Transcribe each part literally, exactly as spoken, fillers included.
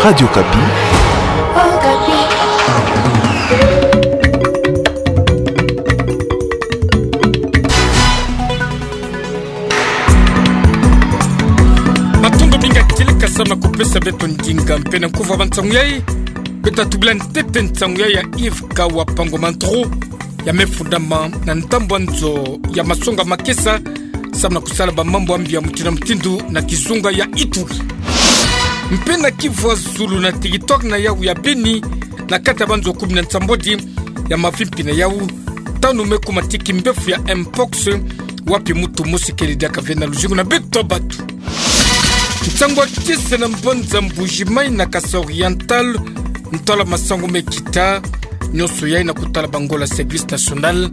Radio Okapi. Matondo mingi kieleka samu na kupesa beto ndinga mpe na nkufi ya bansangu yai. Beto tubila ntete nsangu yai ya Yves Kawa Pango Mantro, ya me fundama na ndambu ya nzo ya Masonga Makesa, samu na kusala bamambu ya mbi ya mutindu na mutindu na kizunga ya Ituri. Mpe na kivu ya zulu na territoire na yau ya Beni, na kati ya banzo kumi na nsambwadi ya mavimpi na yau, tanu me kuma ti kimbefu ya mpox, wapi muntu mosi kele diaka ve na luzingu na beto bantu. Nsangu ya kiese na mbanza Mbuji-Mayi na Kasaï Oriental, ntwala masangu me kita, nyonso yai na kutala bangola service national,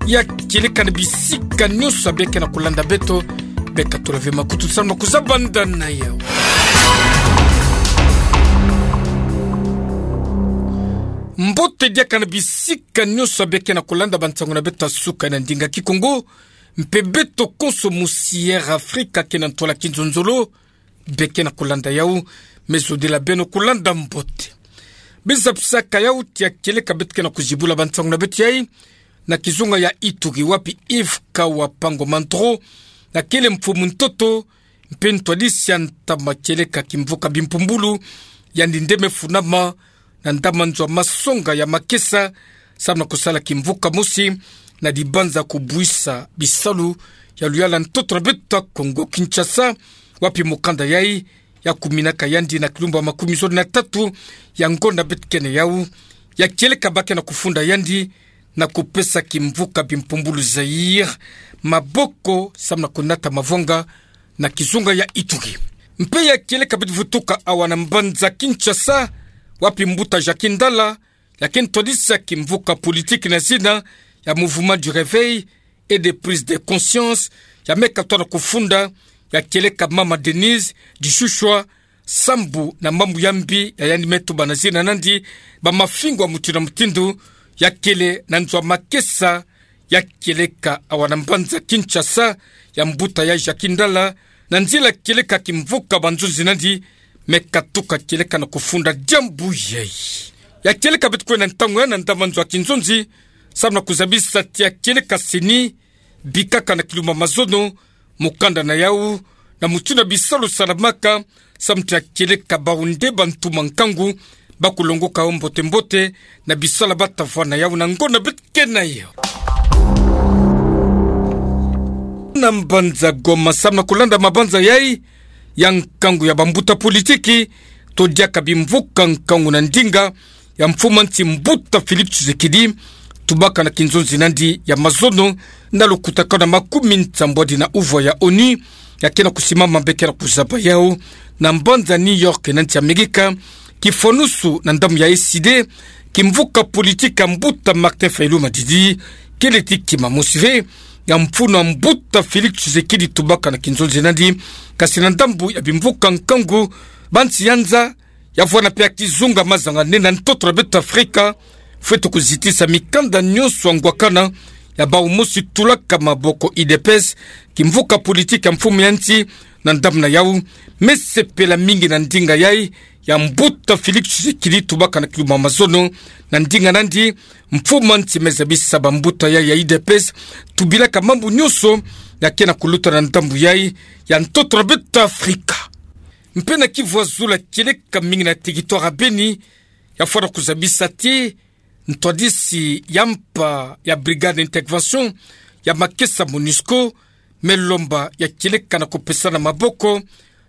ya kieleka na bisika nyonso ya beke na kulanda beto, beka tula ve makutu samu na kuzabanda na yau. Mbote diaka na bisika nyonso ya beke na kulanda bansangu na beto ya suka na ndinga Kikongo, mpe beto konso musi Air Afrika ke na ntwala kinzonzolo, beke na kulanda yau, me zodila beno kulanda mbote. Biza pisaka yau ti ya kieleka beto ke na kuzibula bansangu na beto yai, na kizunga ya Ituri wapi Yves Kawa Pango Mantro, na kele mfumu ntoto, mpe ntwadisi ya ntama kieleka kimvuka bimpumbulu, yandi nde me funama, na ndambu ya nzo ya Masonga ya Makesa, samu na kusala kimvuka mosi, na dibanza kubuisa bisalu ya luyala ntoto na beto ya Kongo Kinshasa, wapi mukanda yai, ya kuminaka yandi na kilumbu ya makumi zole na tatu, ya ngonda beto ke na yau, ya kieleka ba ke na kufunda yandi, na kupesa kimvuka bimpumbulu Zaïre maboko, samu na kunata mavwanga, na kizunga ya Ituri. Mpe ya kieleka beto vutuka awa na mbanza Kinshasa, wapi mbuta Jacky Ndala, ya ke ntwadisi ya kimvuka politiki na zina ya Mouvement du Réveil et de Prise de Conscience, ya me katwa na kufunda, ya kieleka mama Denise Dishushuwa, sambu na mambu ya mbi ya yandi me tuba na zina nandi, bamafingu ya mutindu na mutindu, ya kele na nzo ya Makesa, ya kieleka awa na mbanza Kinshasa, ya mbuta ya Jacky Ndala, na nzila kieleka kimvuka banzonzi nandi, me katuka kieleka na kufunda diambu yai. Ya kieleka beto kwe na ntangu ya na ndambu ya nzo ya kinzonzi, samu na kuzabisa ti ya kieleka CENI, bikaka na kilumbu ya mazono, mukanda na yau, na mutindu ya bisalu salamaka, samu ti ya kieleka bawu nde bantu mankangu, ba kulongoka yau mbote mbote, na bisalu bata vwa na yau na ngonda beto ke na yau. Na mbanza Goma samu na kulanda mabanza yai, ya nkangu ya bambuta politiki, to diaka bimvuka nkangu na ndinga, ya mfumu ya nsi mbuta Félix Tshisekedi, tubaka na kinzonzi nandi ya mazono, na lukutakanu ya makumi nsambwadi na uvwa ya ONU, ya ke na kusimama mpe ke na kuzaba yau, na mbanza New York na nsi Amerika, kifwanusu na ndambu ya ECD, kimvuka politiki ya mbuta Martin Fayulu Madidi, kele ti kima mosi ve, ya mfunu ya mbuta Félix Tshisekedi tubaka na kinzonzi nandi, kasi na ndambu ya bimvuka nkangu, bansi ya nza, ya vwanda mpe ya kizunga mazanga nene na ntoto na beto Afrika, fwete kuzitisa mikanda nyonso ya ngwakana, ya bawu mosi tulaka maboko UDPS, kimvuka politiki ya mfumu ya nsi, na ndambu na yau, me sepela mingi na ndinga yai, ya mbuta Félix Tshisekedi tubaka na kilumbu ya mazono, na ndinga nandi, mfumu ya nsi me zabisa bambuta yai ya UDPS, tubilaka mambu nyonso, ya ke na kuluta na ndambu yai, ya ntoto na beto Afrika. Mpe na kivu ya zulu ya kieleka mingi na territoire ya Beni, ya vwanda kuzabisa ti, ntwadisi ya mpa ya Brigade d'Intervention ya Makesa MONUSCO, me lomba ya kieleka na kupesana maboko,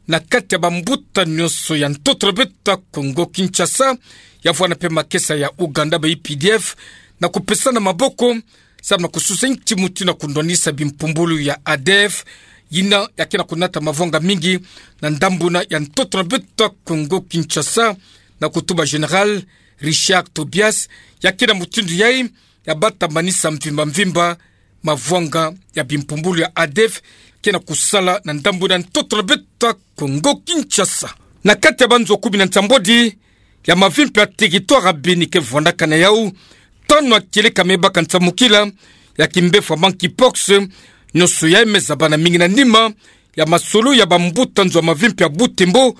na kati ya bambuta nyonso ya ntoto na beto Kongo Kinshasa, ya vwanda mpe Makesa ya Uganda ba UPDF, na kupesana maboko, samu na kususa nki mutindu na kundwanisa bimpumbulu ya ADF, yina ya ke na kunata mavwanga mingi, na ndambu na ya ntoto na beto Kongo Kinshasa, na kutuba Général Richard Tobias, ya ke na mutindu yai, ya bata manisa mvimba mvimba, mavwanga ya bimpumbulu ya ADF, ke na kusala na ndambu na ntoto na beto Kongo Kinshasa. Na kati ya banzo kumi na nsambwadi, ya mavimpi ya territoire ya Beni ke vwandaka na yau, tanu ya kieleka me baka nsamukila, ya kimbefu ya monkeypox, nyonso yai me zabana mingi na nima, ya masolo ya bambuta nzo ya mavimpi ya Butembo,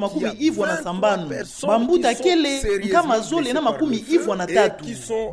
makumi ivwa na sambanu. Bambuta kele nkama zole na makumi ivwa na tatu.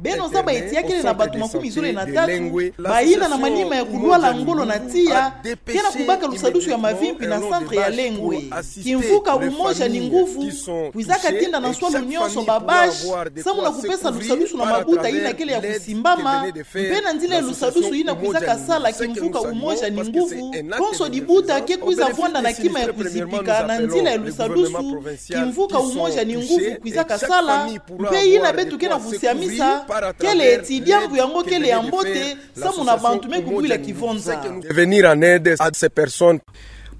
Beno zaba eti ya kele na bato makumi zole na tatu bayina na manima ya kulwala ngolo na tiya, ke na kubaka lusadusu ya mavimpi na centre ya Lengoe. Kimvuka umoja ni nguvu kwizaka tinda na nswalu nyonso ba bâche, samu na kupesa lusadusu na mabuta yina kele ya kusimbama, mpe na nzila ya lusadusu yina kwizaka sala kimvuka umoja ni nguvu, konso dibuta ke kwiza vwanda na kima ya kuzipika na nzila ya lusadusu kimvuka umoja ni nguvu kwizaka sala, mpe yina beto ke na kusiamisa kele eti diambu yango kele ya mbote, samu na bantu me kubwila kivonza. De venir en aide à ces personnes.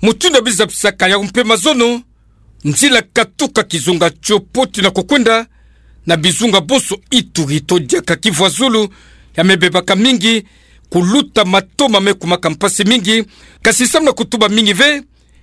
Mutindu ya bizapisaka yawu mpe mazono, nzila katuka kizunga tio Potou na kukwenda na bizunga bonso Ituri to diaka Kivu ya zulu, ya me bebaka mingi, kuluta matoma me kumaka mpasi mingi, kasi samu na kutuba mingi ve,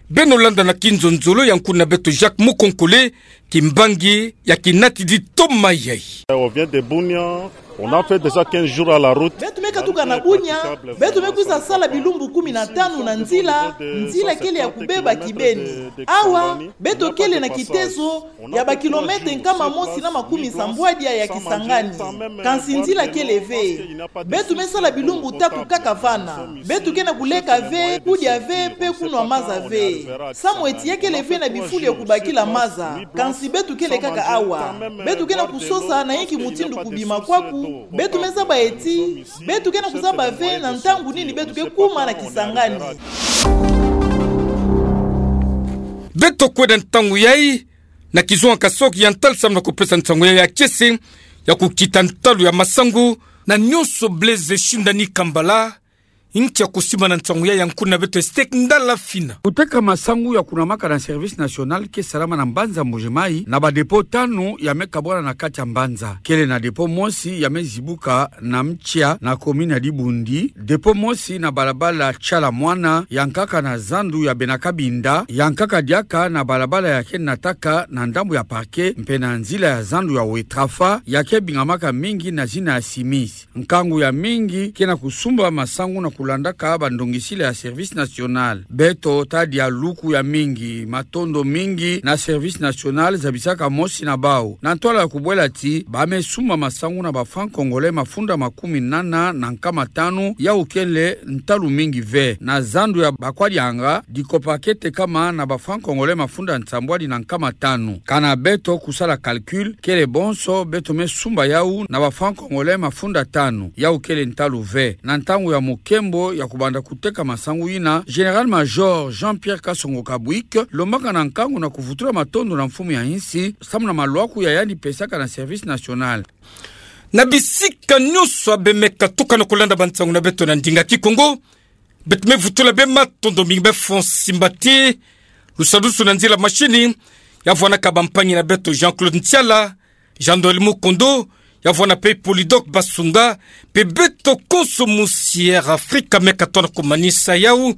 beno landa na kinzonzolo ya nkuna beto Jacques Mukonkole, kimbangi ya kinatidi toma yayi. On vient de Bunia, on a fait déjà quinze jours à la route. Beto me katuka na Bunia, beto me kwiza sala bilumbu kumi na tanu na nzila, nzila kele ya kubeba kibeni. Awa, beto kele na kitezo ya ba kilomètre nkama mosi na makumi sambwadia ya Kisangani. Kansi nzila kele ve. Beto me sala bilumbu tatu kaka vana. Beto ke na kuleka ve, kudia ve, mpe kunwa maza ve. Samu eti ya kele ve na bifulu ya kubakila maza. Kansi beto kele kaka awa. Beto ke na kusosa na inki mutindu kubima kwaku. Beto me zaba eti beto ke na kuzaba ve na ntangu nini beto ke kuma na Kisangani. Beto kwenda ntangu yayi na kizunga Kasaï-Oriental samu na kupesa nsangu yayi ya kiese ya kukita ntalu ya masangu. Na nyonso Blaise Shindani Kambala, inki ya kusimba na nsangu yayi ya nkuna beto Estek Ndala Fina. Kuteka masangu ya kunamaka na service national ke salama na mbanza Mbuji-Mayi na ba dépôt tanu ya me kabwana na kati ya mbanza. Kele na dépôt mosi ya me zibuka na Mtsia na commune ya Dibundi, dépôt mosi na balabala Tshala Muana, ya nkaka na zandu ya Bena Kabinda, ya nkaka diaka na balabala ya ke nataka na ndambu ya parquet, mpe na nzila ya zandu ya Wetrafa, ya ke bingamaka mingi na zina ya Simis. Nkangu ya mingi ke na kusumba masangu na kulandaka bandongisila ya service national. Beto tadia luku ya mingi, matondo mingi na service national zabisaka mosi na bawu. Na ntwala ya kubwela ti ba me sumba masangu na ba francs congolais mafunda makumi nana na nkama tanu, yawu kele ntalu mingi ve. Na zandu ya Bakwadianga, dikopa ke tekama na ba francs congolais mafunda nsambwadi na nkama tanu. Kana beto kusala calcul, kele bonso beto me sumba yawu na ba francs congolais mafunda tanu, yawu kele ntalu ve. Na ntangu ya mukembo ya kubanda kuteka masangu yina, Général-Major Jean-Pierre Kasongo Kabwik lombaka na nkangu na kuvutula matondo na mfumu ya insi samu na malwaku ya yandi pesaka na service national. Na bisika nyonso ya be me katuka na kulanda bansangu na beto na ndinga Kikongo, beto me vutula be matondo mingi. Be fon simba ti lusadusu na nzila mashini ya vwanaka bampangi na beto Jean-Claude Ntiala, Jean-Noël Mukondo, Ya vwanda pe Polydor Basunga, pe beto konso musi Air Afrique, meka tona ko manisa yawu,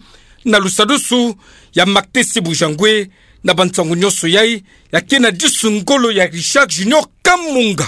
na lusadusu ya Marc Tessiboua Zangwe, na bantsangu nyoso yai, ya kena disu ngolo ya Richard Junior Kamunga.